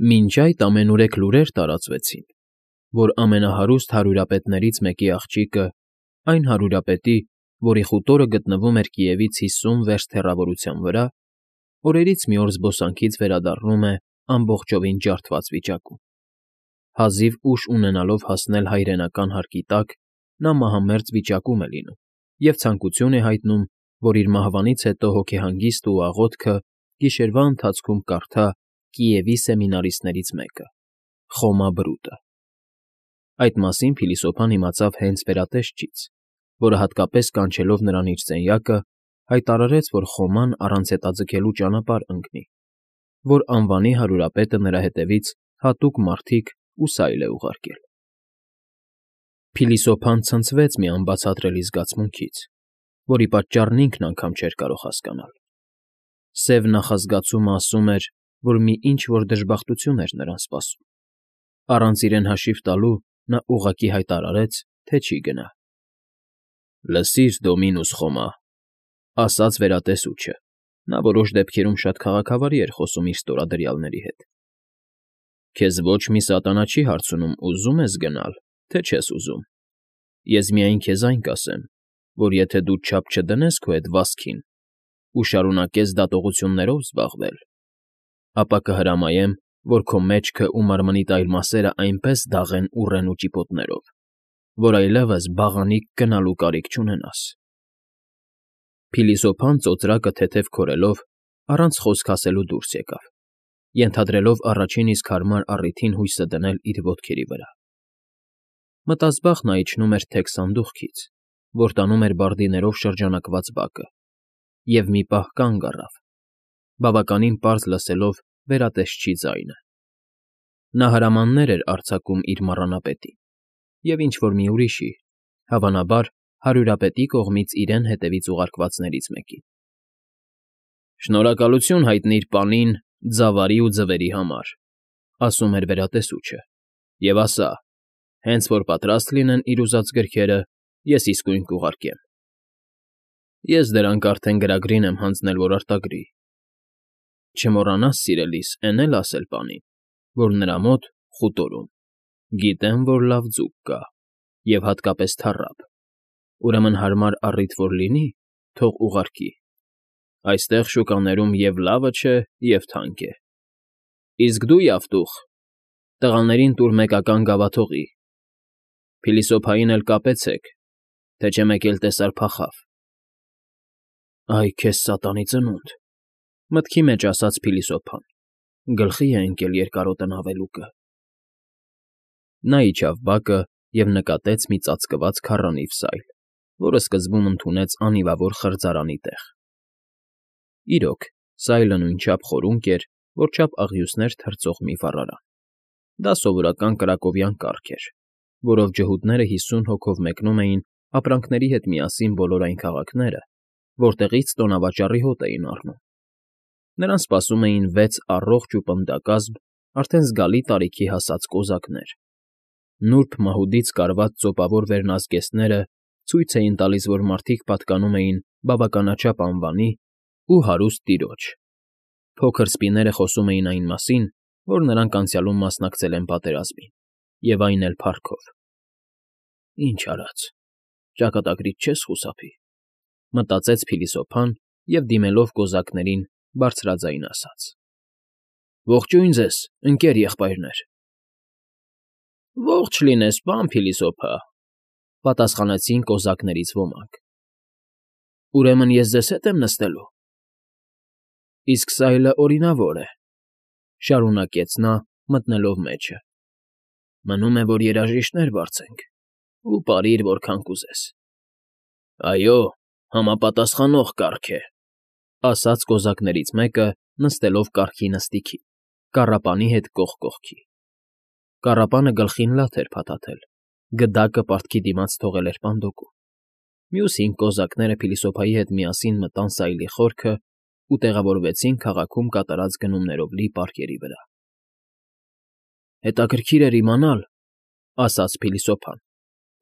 Մինչ այդ ամենուրեք լուրեր տարածվեցին, որ ամենահարուստ հարյուրապետներից մեկի աղջիկը, այն հարյուրապետի, որի խուտորը գտնվում էր Կիևից 50 վերստ հեռավորության վրա, օրերից մի օր զբոսանքից վերադառնում է ամբողջովին ջարդված վիճակում. հազիվ ուժ ունենալով հասնել հայրենական հարկի տակ, նա մահամերձ վիճակում է լինում և ցանկություն է հայտնում, որ իր մահվանից հետո հոգեհանգիստը ու աղոթքը գիշերվա ընթացքում կարդա Կիևի սեմինարիստներից մեկը՝ Խոմա Բրուտը։ Այդ մասին փիլիսոփան իմացավ հենց վերատեսչից, որը հատկապես կանչելով նրան իր սենյակը, հայտարարեց, որ Խոման առանց հետաձգելու ճանապարհ ընկնի, որ անվանի հարյուրապետը նրա հետևից հատուկ մարդիկ ու սայլ է ուղարկել։ Փիլիսոփան ցնցվեց մի անբացատրելի զգացմունքից, որի պատճառն ինքն անգամ չէր կարող հասկանալ։ Սև նախազգացումը ասում էր, որ մի ինչ֊որ դժբախտություն էր նրան սպասում։ Առանց իրեն հաշիվ տալու նա ուղղակի հայտարարեց, թե չի գնա։ «Լսիր, Դոմինուս Խոմա,֊ ասաց վերատեսուչը. նա որոշ դեպքերում շատ քաղաքավարի էր խոսում իր ստորադրյալների հետ,֊ քեզ ոչ մի սատանա չի հարցնում ուզո՞ւմ ես գնալ, թե չես ուզում։ Ես միայն քեզ այն կասեմ, որ եթե դու չափ չդնես քո էդ վասքին ու շարունակես դատողություններով զբաղվել, ապա կհրամայեմ, որ քո մեջքն ու մարմնիդ այլ մասերը այնպես դաղեն ուռեն ու ճիպոտներով, որ այլևս բաղանիք գնալու կարիք չունենաս»։ Փիլիսոփան ծոծրակը թեթև քորելով առանց խոսք ասելու դուրս եկավ, ենթադրելով առաջին իսկ հարմար առիթին հույսը դնել իր ոտքերի վրա։ Մտազբաղ նա իջնում էր թեք սանդուղքից, որ տանում էր բարդիներով շրջանակված բակը, և մի պահ կանգ առավ, բավականին պարզ լսելով վերատեսչի ձայնը։ Նա հրամաններ էր արձակում իր մառանապետին և ինչ֊որ մի ուրիշի, հավանաբար հարյուրապետի կողմից իրեն հետևից ուղարկվածներից մեկին։ «Շնորհակալություն հայտնիր պանին ձավարի ու ձվերի համար,֊ ասում էր վերատեսուչը,֊ և ասա, հենց որ պատրաստ լինեն իր ուզած գրքերը, ես իսկույն կուղարկեմ։ Ես դրանք արդեն գրագրին եմ հանձնել, որ արտագրի։ Չմոռանաս, սիրելիս, էն էլ ասել պանին, որ նրա մոտ՝ խուտորում, գիտեմ, որ լավ ձուկ կա, և հատկապես թառափ, ուրեմն հարմար առիթ որ լինի, թող ուղարկի. այստեղ շուկաներում և լավը չէ, և թանկ է։ Իսկ դու, Յավտուխ, տղաներին տուր մեկական գավաթողի, փիլիսոփային էլ կապեցեք, թե չէ մեկ էլ տեսար փախավ»։ «Այ քեզ սատանի ծնունդ,֊ մտքի մեջ ասաց փիլիսոփան,֊ գլխի է ընկել երկարոտն ավելուկը»։ Նա իջավ բակը և նկատեց մի ծածկված քառանիվ սայլ, որը սկզբում ընդունեց անիվավոր խրձարանի տեղ։ Իրոք, սայլը նույնչափ խորունկ էր, որչափ աղյուսներ թրծող մի վառարան։ Դա սովորական կրակովյան կառք էր, որով ջհուդները 50 հոգով մեկնում էին ապրանքների հետ միասին բոլոր այն քաղաքները, որտեղից տոնավաճառի հոտ էին առնում։ Նրան սպասում էին 6 առողջ ու պնդակազմ, արդեն զգալի տարիքի հասած կոզակներ։ Նուրբ մահուդից կարված ծոպավոր վերնազգեստները ցույց էին տալիս, որ մարդիկ պատկանում էին բավականաչափ անվանի ու հարուստ տիրոջ։ Փոքր սպիները խոսում էին այն մասին, որ նրանք անցյալում մասնակցել են պատերազմին, և այն էլ փառքով։ «Ինչ արած, ճակատագրից չես խուսափի,֊ մտածեց փիլիսոփան և, դիմելով կոզակներին, բարձրաձայն ասաց. «Ողջույն ձեզ, ընկեր եղբայրներ»։ «Ողջ լինես, պան փիլիսոփա,֊ պատասխանեցին կոզակներից ոմանք։ Ուրեմն ես ձեզ հետ եմ նստելու։ Իսկ սայլը օրինավոր է,֊ շարունակեց նա, մտնելով մեջը։ Մնում է, որ երաժիշտներ բարձենք, ու պարիր որքան կուզես։ Այո, համապատասխանող կառք է,֊ ասաց կոզակներից մեկը, նստելով կառքի նստիքին, կառապանի հետ կողք կողքի։ Կառապանը գլխին լաթ էր փաթաթել, գդակը պարտքի դիմաց թողել էր պանդոկում։ Մյուս 5 կոզակները փիլիսոփայի հետ միասին մտան սայլի խորքը ու տեղավորվեցին քաղաքում կատարած գնումներով լի պարկերի վրա։ «Հետաքրքիր էր իմանալ,֊ ասաց փիլիսոփան,֊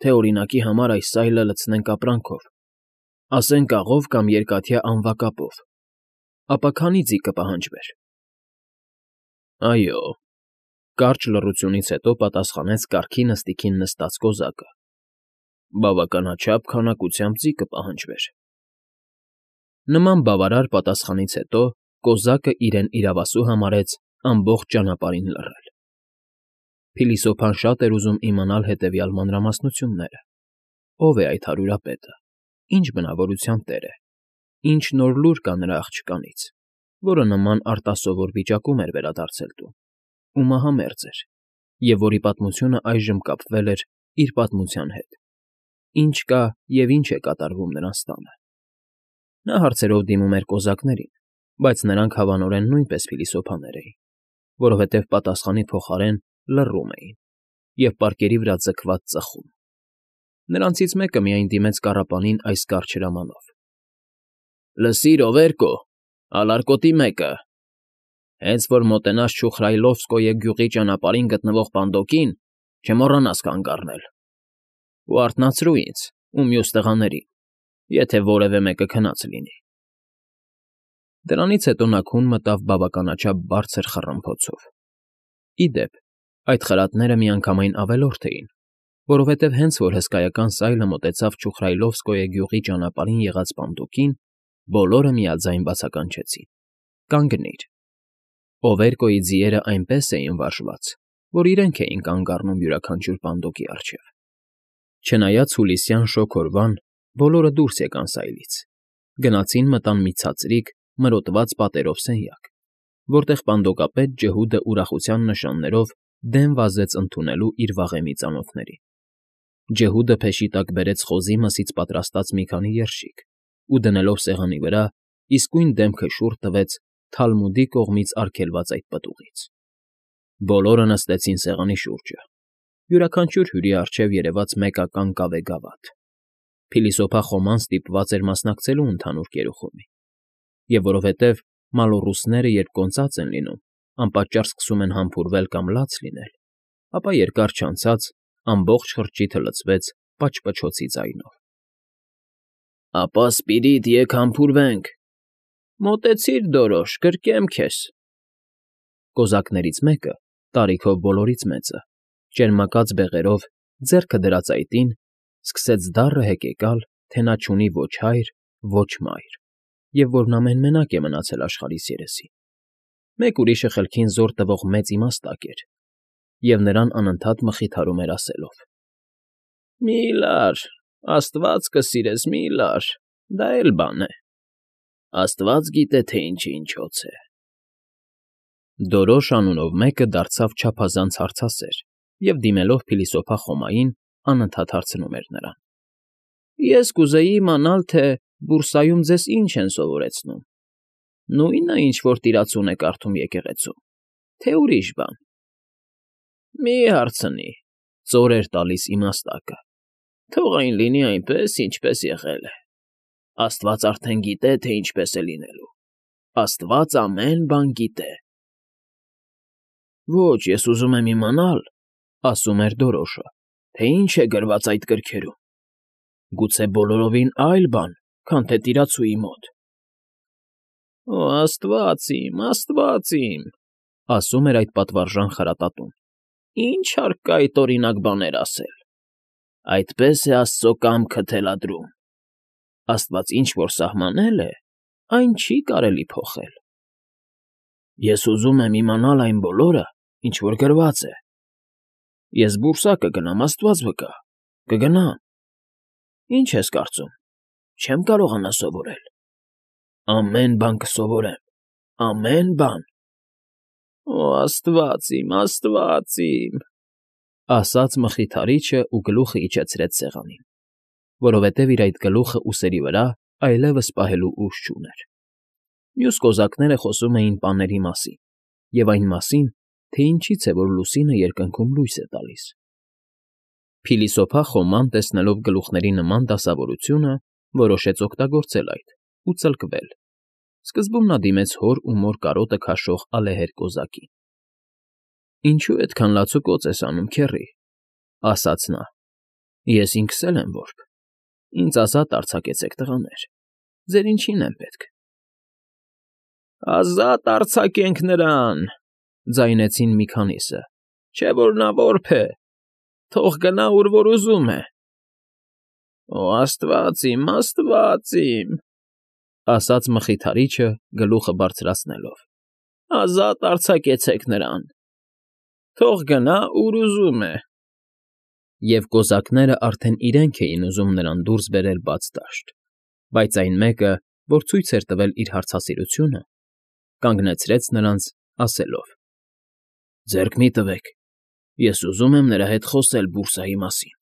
թե օրինակի համար այս սայլը լցնենք ապրանքով, ասենք աղով կամ երկաթյա անվակապով, ապա քանի ձի կպահանջվեր»։ «Այո, Կարճ լռությունից հետո պատասխանեց կառքի նստիքին նստած կոզակը։ Բավականաչափ քանակությամբ ձի կպահանջվեր։ Նման բավարար պատասխանից հետո կոզակը իրեն իրավասու համարեց ամբողջ ճանապարհին լռել։ Փիլիսոփան շատ էր ուզում իմանալ հետևյալ մանրամասնությունները. ով է այդ հարյուրապետը, ինչ բնավորության տեր է, ինչ նոր լուր կա նրա աղջկանից, որը նման արտասովոր վիճակում էր վերադարձել տուն, ու մահամերձ էր, և որի պատմությունը այժմ կապվել էր իր պատմության հետ, ինչ կա և ինչ է կատարվում նրանց տանը։ Նա հարցերով դիմում էր կոզակներին, բայց նրանք հավանորեն նույնպես փիլիսոփաներ էին, որովհետև պատասխանի փոխարեն լռում էին և պարկերի վրա ձգված ծխում։ Նրանցից մեկը միայն դիմեց կառապանին այս կարճ հրամանով. «Լսիր, Օվերկո, ալարկոտի մեկը, հենց որ մոտենաս Չուխրայլովսկոյե գյուղի ճանապարհին գտնվող պանդոկին, չմոռանաս կանգ առնել, ու արթնացրու ինձ ու մյուս տղաներին, եթե որևէ մեկը քնած լինի»։ Դրանից հետո նա քուն մտավ բավականաչափ բարձր խռմփոցով։ Ի դեպ, այդ խրատները միանգամայն ավելորդ էին, որովհետև հենց որ հսկայական սայլը մոտեցավ Չուխրայլովսկոյե գյուղի ճանապարհին եղած պանդոկին, բոլորը միաձայն բացականչեցին. «Կանգնիր»։ Օվերկոյի ձիերը այնպես էին վարժված, որ իրենք էին կանգ առնում յուրաքանչյուր պանդոկի առջև։ Չնայած հուլիսյան շոգ օրվան, բոլորը դուրս եկան սայլից, գնացին մտան մի ցածրիկ, մրոտված պատերով սենյակ, որտեղ պանդոկապետ ջհուդը ուրախության նշաններով դեմ վազեց ընդունելու իր վաղեմի ծանոթներին։ Ջհուդը փեշի տակ բերեց խոզի մսից պատրաստած մի քանի երշիկ ու դնելով սեղանի վրա, իսկույն դեմքը շուռ տվեց Թալմուդի կողմից արգելված այդ պտուղից։ Բոլորը նստեցին սեղանի շուրջը։ Յուրաքանչյուր հյուրի առջև երևաց մեկական կավե գավաթ։ Փիլիսոփա Խոման ստիպված էր մասնակցելու ընդհանուր կերուխումին, և որովհետև մալոռուսները, երբ կոնծած են լինում, անպատճառ սկսում են համբուրվել կամ լաց լինել, ապա երկար չանցած ամբողջ խրճիթը լցվեց պաճպճոցի ձայնով։ «Ապա, Սպիրիտ, եկ համբուրվենք։ Մոտեցիր, Դորոշ, գրկեմ քեզ»։ Կոզակներից մեկը, տարիքով բոլորից մեծը, ճերմակած բեղերով, ձեռքը դրած այտին, սկսեց դառը հեկեկալ, թե նա չունի ոչ հայր, ոչ մայր, և որ նա մեն֊մենակ է մնացել աշխարհիս երեսին։ Մեկ ուրիշը խելքին զոր տվող մեծ իմաստակ էր, և նրան անընդհատ մխիթարում էր ասելով. «Մի՛ լար, աստված կսիրես, մի՛ լար, դա էլ բան է, աստված գիտե, թե ինչի ինչոց է»։ Դորոշ անունով մեկը դարձավ չափազանց հարցասեր և, դիմելով փիլիսոփա Խոմային, անընդհատ հարցնում էր նրան. «Ես կուզեի իմանալ, թե բուրսայում ձեզ ինչ են սովորեցնում. նույնը, ինչ որ տիրացուն է կարդում եկեղեցում, թե ուրիշ բան»։ «Մի հարցնի», ծոր էր տալիս իմաստակը, «թող այն լինի այնպես, ինչպես եղել է. աստված արդեն գիտե, թե ինչպես է լինելու, աստված ամեն բան գիտե»։ «Ոչ, ես ուզում եմ իմանալ,֊ ասում էր Դորոշը,֊ թե ինչ է գրված այդ գրքերում. գուցե բոլորովին այլ բան, քան թե տիրացուի մոտ»։ «Օ, աստված իմ,֊ ասում էր այդ պատվարժան խրատատուն,֊ ինչ հարկ կա այդ օրինակ բաներ ասել. այդպես է աստծո կամքը թելադրում. աստված ինչ որ սահմանել է, այն չի կարելի փոխել։ Ես ուզում եմ իմանալ այն բոլորը, ինչ որ գրված է։ Ես բուրսա կգնամ, աստված վկա, կգնամ։ Ինչ ես կարծում, չեմ կարողանա սովորել։ Ամեն բան կսովորեմ, ամեն բան։ Օ, աստված իմ,֊ ասաց մխիթարիչը ու գլուխը իջեցրեց սեղանին, որովհետև իր այդ գլուխը ուսերի վրա այլևս պահելու ուժ չուներ։ Մյուս կոզակները խոսում էին պաների մասին և այն մասին, թե ինչից է, որ լուսինը երկնքում լույս է տալիս։ Փիլիսոփա Խոման, տեսնելով գլուխների նման դասավորությունը, որոշեց օգտագործել այդ ու ծլկվել։ Սկզբում նա դիմեց հոր ու մոր կարոտը քաշող ալեհեր կոզակին։ «Ինչո՞ւ այդքան լացուկոծ ես անում, քեռի,֊ ասաց նա,֊ ես ինքս էլ եմ որբ, ինձ ազատ արձակեցեք, տղաներ, ձեր ինչին եմ պետք»։ «Ազատ արձակենք նրան,֊ ձայնեցին մի քանիսը, Չէ՞ որ նա որբ է, թող գնա, ուր որ ուզում է։ ֊ Աստված իմ,֊ ասաց մխիթարիչը գլուխը բարձրացնելով,֊ ազատ արձակեցեք նրան, թող գնա, ուր ուզում է։ Եվ կոզակներն արդեն իրենք էին ուզում նրան դուրս բերել բաց դաշտ, բայց այն մեկը, որ ցույց էր տվել իր հարցասիրությունը, կանգնեցրեց նրանց, ասելով. «Ձեռք մի՛ տվեք, ես ուզում եմ նրա հետ խոսել բուրսայի մասին»։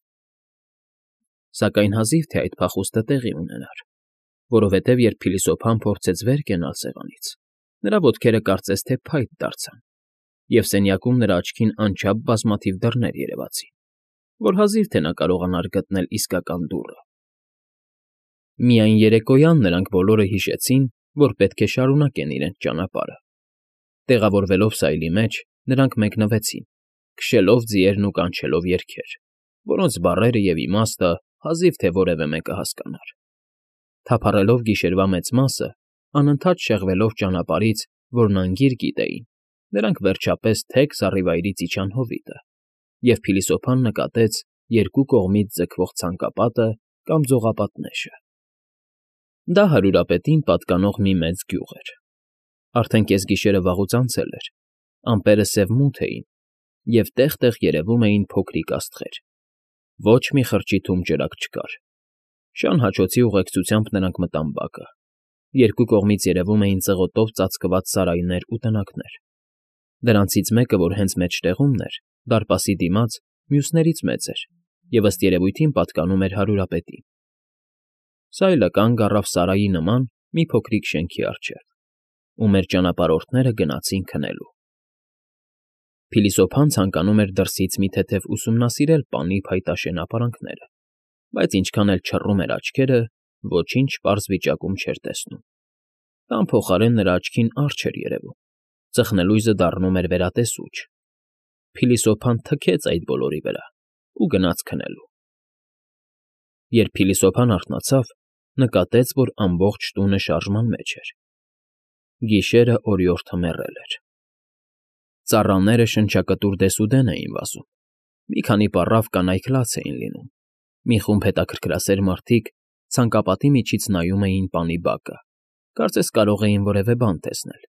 Սակայն հազիվ թե այդ փախուստը տեղի ունենար, որովհետև երբ փիլիսոփան փորձեց վեր կենալ սեղանից, նրա ոտքերը կարծես թե փայտ դարձան, և սենյակում նրա աչքին անչափ բազմաթիվ դռներ երևացին, որ հազիվ թե նա կարողանար գտնել իսկական դուռը։ Միայն երեկոյան նրանք բոլորը հիշեցին, որ պետք է շարունակեն իրենց ճանապարհը։ Տեղավորվելով սայլի մեջ, նրանք մեկնվեցին, քշելով ձիերն ու կանչելով երգեր, որոնց բառերը և իմաստը հազիվ թե որևէ մեկը հասկանար։ Թափառելով գիշերվա մեծ մասը, անընդհատ շեղվելով ճանապարհից, որն անգիր գիտեին, նրանք վերջապես թեք զառիվայրից իջան հովիտը, և փիլիսոփան նկատեց երկու կողմից ձգվող ցանկապատը կամ ձողապատնեշը։ Դա հարյուրապետին պատկանող մի մեծ գյուղ էր։ Արդեն կեսգիշերը վաղուց անցել էր, ամպերը սևմութ էին, և տեղ֊տեղ երևում էին փոքրիկ աստղեր։ Ոչ մի խրճիթում ջրակ չկար։ Շան հաչոցի ուղեկցությամբ նրանք մտան բակը։ Երկու կողմից երևում էին ծղոտով ծածկված սարայներ ու տնակներ։ Դրանցից մեկը, որ հենց մեջտեղումն էր, դարպասի դիմաց, մյուսներից մեծ էր և ըստ երևույթին պատկանում էր հարյուրապետին։ Սայլը կանգ առավ սարայի նման մի փոքրիկ շենքի առջև, ու մեր ճանապարհորդները գնացին քնելու։ Փիլիսոփան ցանկանում էր դրսից մի թեթև ուսումնասիրել պանի փայտաշեն ապարանքները, բայց ինչքան էլ չռում էր աչքերը, ոչինչ պարզ վիճակում չէր տեսնում։ Տան փոխարեն նրա աչքին առջ էր երևում, ծխնելույզը դառնում էր վերատեսուչ։ Փիլիսոփան թքեց այդ բոլորի վրա ու գնաց քնելու։ Երբ փիլիսոփան արթնացավ, նկատեց, որ ամբողջ տունը շարժման մեջ էր։ Գիշերը օրիորդը մեռել էր։ Ծառաները շնչակտուր դեսուդեն էին վազում։ Մի քանի պառավ կանայք լաց էին լինում։ Մի խումբ հետաքրքրասեր մարդիկ ցանկապատի միջից նայում էին պանի բակը, կարծես կարող էին որևէ բան տեսնել։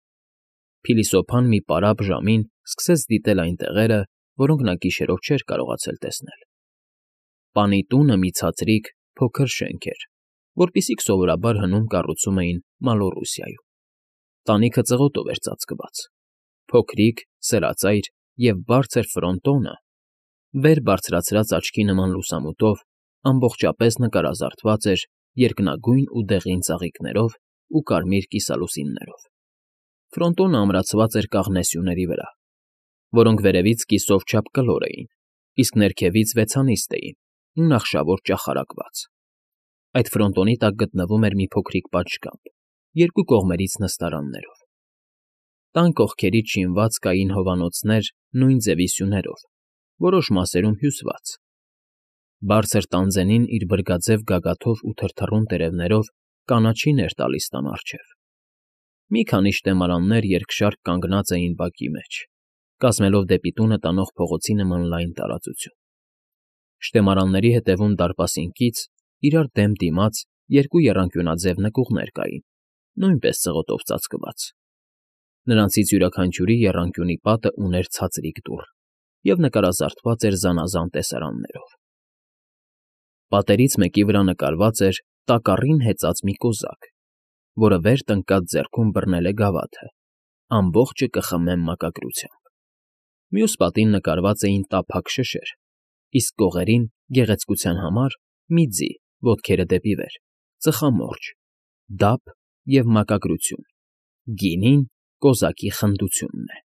Փիլիսոփան մի պարապ ժամին սկսեց դիտել այն տեղերը, որոնք նա գիշերով չէր կարողացել տեսնել։ Պանի տունը մի ցածրիկ, փոքր շենք էր, որպիսիք սովորաբար հնում կառուցում էին Մալոռուսիայում։ Տանիքը ծղոտով էր ծածկված։ Փոքրիկ, սրածայր և բարձր ֆրոնտոնը, վեր բարձրացրած աչքի նման լուսամուտով, ամբողջապես նկարազարդված էր երկնագույն ու դեղին ծաղիկներով ու կարմիր կիսալուսիններով։ Ֆրոնտոնը ամրացված էր կաղնե սյուների վրա, որոնք վերևից կիսով չափ կլոր էին, իսկ ներքևից վեցանիստ էին ու նախշավոր ճախարակված։ Այդ ֆրոնտոնի տակ գտնվում էր մի փոքրիկ պատշգամբ, երկու կողմերից նստարաններով։ Տան կողքերից շինված կային հովանոցներ նույն ձևի սյուներով, որոշ մասերում հյուսված։ Բարձր տանձենին իր բրգաձև գագաթով ու թրթռուն տերևներով կանաչին էր տալիս տան առջև։ Մի քանի շտեմարաններ երկշարք կանգնած էին բակի մեջ, կազմելով դեպի տունը տանող փողոցի նման լայն տարածություն։ Շտեմարանների ետևում դարպասին կից, իրար դեմ դիմաց երկու եռանկյունաձև նկուղներ կային, նույնպես ծղոտով ծածկված։ Նրանցից յուրաքանչյուրի եռանկյունի պատը ուներ ցածրիկ դուռ և նկարազարդված էր զանազան տեսարաններով։ Պատերից մեկի վրա նկարված էր տակառին հեծած մի կոզակ, որը վեր տնկած ձեռքում բռնել է գավաթը, ամբողջը կխմեմ մակագրությամբ։ Մյուս պատին նկարված էին տափակ շշեր, իսկ կողերին, գեղեցկության համար, մի ձի, ոտքերը դեպի վեր, ծխամորճ, դափ և մակագրություն, գինին կոզակի խնդությունն է։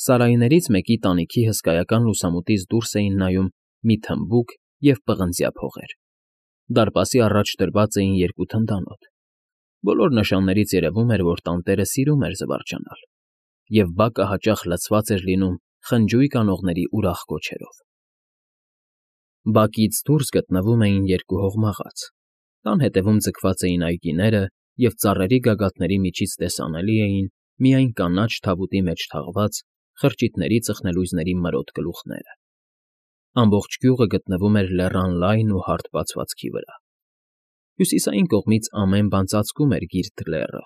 Սարայներից մեկի տանիքի հսկայական լուսամուտից դուրս էին նայում մի թմբուկ և պղնձյա փողեր։ Դարպասի առաջ դրված էին երկու թնդանոթ։ Բոլոր նշաններից երևում էր, որ տանտերը սիրում էր զվարճանալ, և բակը հաճախ լցված էր լինում խնջույք անողների ուրախ կոչերով։ Բակից դուրս գտնվում էին երկու հողմաղաց։ Տան ետևում ձգված էին այգիները, և ծառերի գագաթների միջից տեսանելի էին միայն կանաչ թավուտի մեջ թաղված, խրճիթների ծխնելույզների մրոտ գլուխները։ Ամբողջ գյուղը գտնվում էր լեռան լայն ու հարթ բացվածքի վրա։ Հյուսիսային կողմից ամեն բան ծածկում էր գիրտ լեռը,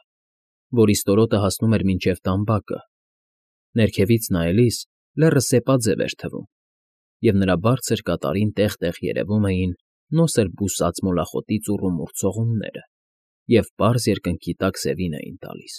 որի ստորոտը հասնում էր մինչև տամբակը։ Ներքևից նայելիս լեռը սեպաձև էր թվում, և նրա բարձր կատարին տեղ֊տեղ երևում էին նոսր բուսած մոլախոտի ծուռումուռ ցողունները և պարզ երկնքի տակ սևին էին տալիս։